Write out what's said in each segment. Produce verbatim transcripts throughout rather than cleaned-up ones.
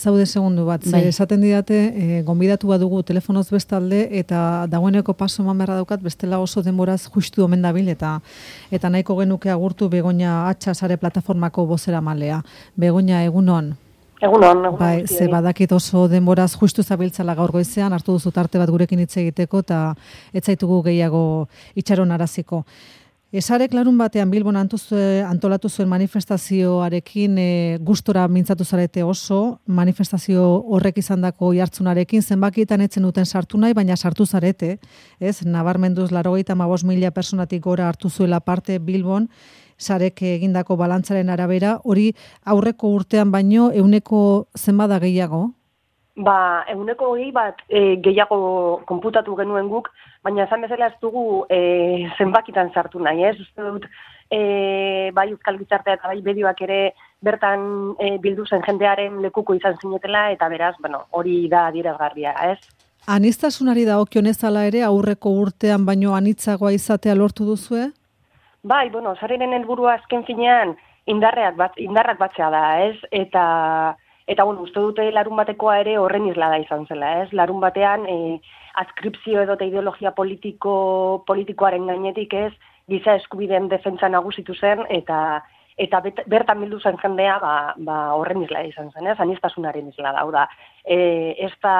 zaude segundu bat, bai. Esaten didate, e, gonbidatu bat dugu telefonoz bestalde, eta dagoeneko paso eman beharra daukat, bestela oso denboraz justu omen dabil, eta eta nahiko genuke agurtu Begoña Atxa sare plataformako bozera malea. Begoña, egunon? Egunon, egunon. Bai, ze badakit oso denboraz justu zabiltzala gaur goizean, hartu duzu tarte bat gurekin hitz egiteko, eta ez zaitugu gehiago itxaron araziko. Esarek larun batean Bilbon antolatu zuen manifestazioarekin e, gustora mintzatu zarete oso, manifestazio horrek izandako jartzunarekin, zenbakietan etzen duten sartu nahi, baina sartu zarete, ez? Nabarmenduz laurogeita hamabost mila personatik gora hartu zuela parte Bilbon, sarek egindako balantzaren arabera, hori aurreko urtean baino ehuneko zenbada gehiago? Ba, ehuneko hogei bat e, gehiago konputatu genuen guk, baina esan bezala ez dugu e, zenbakitan sartu nahi, ez? Uste dut, e, bai Euskal Gizartea eta bai medioak ere bertan e, bildu zen jendearen lekuko izan zinetela, eta beraz, bueno, hori da adierazgarria, ez? Aniztasunari dagokionez hala ere aurreko urtean baino anitzagoa izatea lortu duzue? Bai, bueno, sareren helburua azken finean indarrak bat, indarrak batzea da, ez? Eta Eta, bueno, uste dute larun batekoa ere horren islada izan zela, ez? Larun batean, e, adskripzio edo eta ideologia politiko, politikoaren gainetik, ez? Giza eskubideen defentsa nagusitu zen, eta eta bet, bertan bildu zen jendea, ba, ba horren islada izan zen, ez? Anistasunaren islada, hau da. E, ez da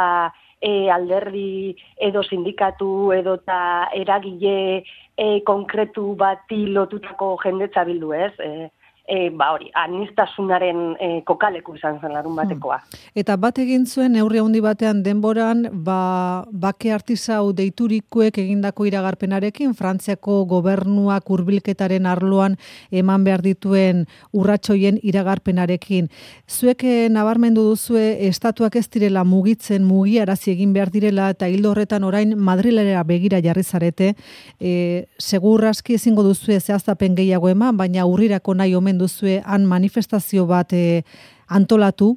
e, alderdi edo sindikatu edo eta eragile e, konkretu bati lotutako jendetza bildu, ez? E, E, ba hori, anistasunaren e, kokaleku izan zen larun batekoa. Hmm. Eta bat egin zuen neurri handi batean denboran, ba, bake artisau deiturikuek egindako iragarpenarekin, Frantziako gobernuak hurbilketaren arloan eman behar dituen urratsoien iragarpenarekin. Zuek nabarmendu duzue estatuak ez direla mugitzen, mugiarazi egin behar direla, eta hildo horretan orain Madrilera begira jarri zarete, e, segur aski ezingo duzue zehaztapen gehiago eman, baina urrirako nahi omen duzue han manifestazio bat e, antolatu,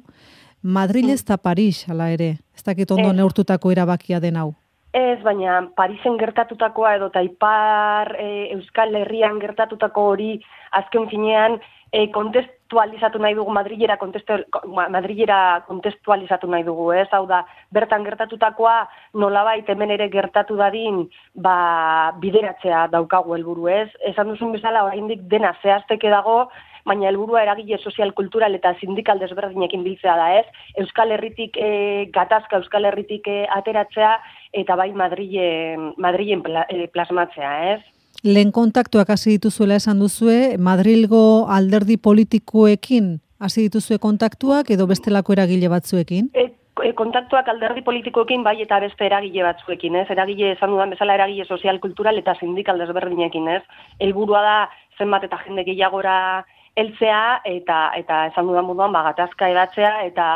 Madrid ez da Paris, hala ere, ez dakit ondo neurtutako erabakia den hau. Ez, baina Parisen gertatutakoa edo Ipar e, Euskal Herrian gertatutako hori azken finean e, kontestualizatu nahi dugu, Madrilera, kontestu, Madrilera kontestualizatu nahi dugu, ez? Hau da, bertan gertatutakoa nolabait hemen ere gertatu dadin ba, bideratzea daukagu helburu, ez? Esan duzun bezala, oraindik dena zehazteke dago, baina helburua eragile sozial, kultural eta sindikal desberdinekin biltzea da, ez? Euskal Herritik e, gatazka, Euskal Herritik e, ateratzea, eta bai Madrilen, Madrilen pla, e, plasmatzea, ez? Lehen kontaktuak hasi dituzuela esan duzue, Madrilgo alderdi politikoekin hasi dituzue kontaktuak edo bestelako eragile batzuekin? E, e, kontaktuak alderdi politikoekin bai eta beste eragile batzuekin, ez? Eragile esan dudan bezala eragile sozial, kultural eta sindikal desberdinekin, ez? Helburua da zenbat eta jende gehiagora heltzea eta eta esan dudan moduan ba gatazka edatzea eta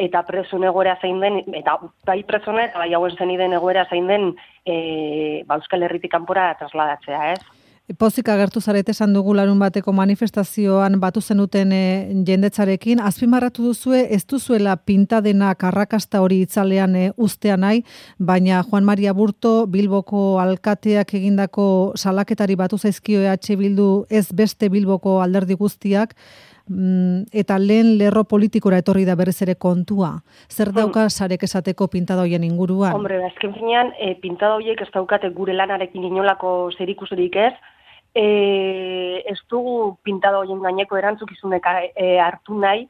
eta presun egoera zein den, eta bai presone eta bai hauen zeniden egoera zein den e, ba Euskal Herritik kanpora trasladatzea, ez? Pozik agertu zarete esan dugu larun bateko manifestazioan batu zenuten e, jendetzarekin, azpimarratu duzue ez duzuela pintadenak arrakasta hori itzalean e, ustea nahi, baina Juan Maria Burto Bilboko alkateak egindako salaketari batu zaizkio E H Bildu ez beste Bilboko alderdi guztiak, eta lehen lerro politikora etorri da berriz ere kontua. Zer dauka sarek esateko pintada hoien inguruan? Hombre, azken finean, e, pintada horiek ez daukate gure lanarekin inolako zerikusirik ez, e, ez dugu pintada horien gaineko erantzukizunek e, hartu nahi,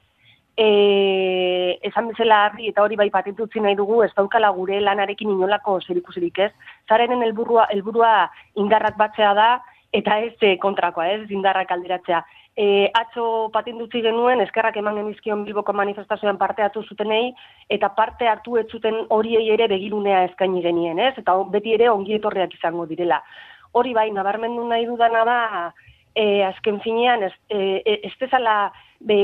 e, esan bezala harri eta hori bai patentutzi nahi dugu, ez daukala gure lanarekin inolako zerikusirik ez. Zarenen helburua helburua indarrak batzea da, eta ez e, kontrakoa, ez indarrak alderatzea. E, atzo patentutzi genuen, eskerrak eman genizkion Bilboko manifestazioan parte hartu zutenei, eta parte hartu ez zuten horiei ere begirunea eskaini genien, ez? Eta beti ere ongi etorriak izango direla. Hori bai, nabarmendu nahi dudana da, e, azken finean, ez, e, ez dezala, be,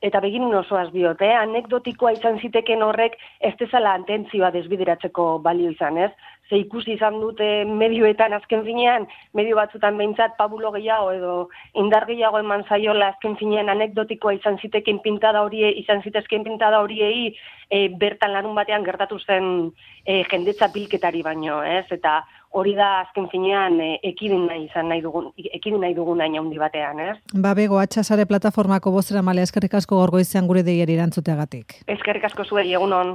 eta begirun osoaz diot, eh? Anekdotikoa izan ziteken horrek, ez dezala atentzioa desbideratzeko balio izan, ez? Ze ikusi izan dute medioetan azken finean, medio batzutan behintzat pabulo gehiago edo indar gehiago eman zaiola azken finean anekdotikoa izan ziteken pintada horie, izan zitezken pintada horiei e, bertan larun batean gertatu zen e, jendetza bilketari baino, ez? Eta hori da azken finean e, ekidin nahi izan nahi dugun, ekidin nahi dugun hain handi batean, ez? Ba, bego, atxasare plataformako bozera male, eskerrik asko gaur goizean gure deiari erantzuteagatik. Eskerrik asko zuei, egunon.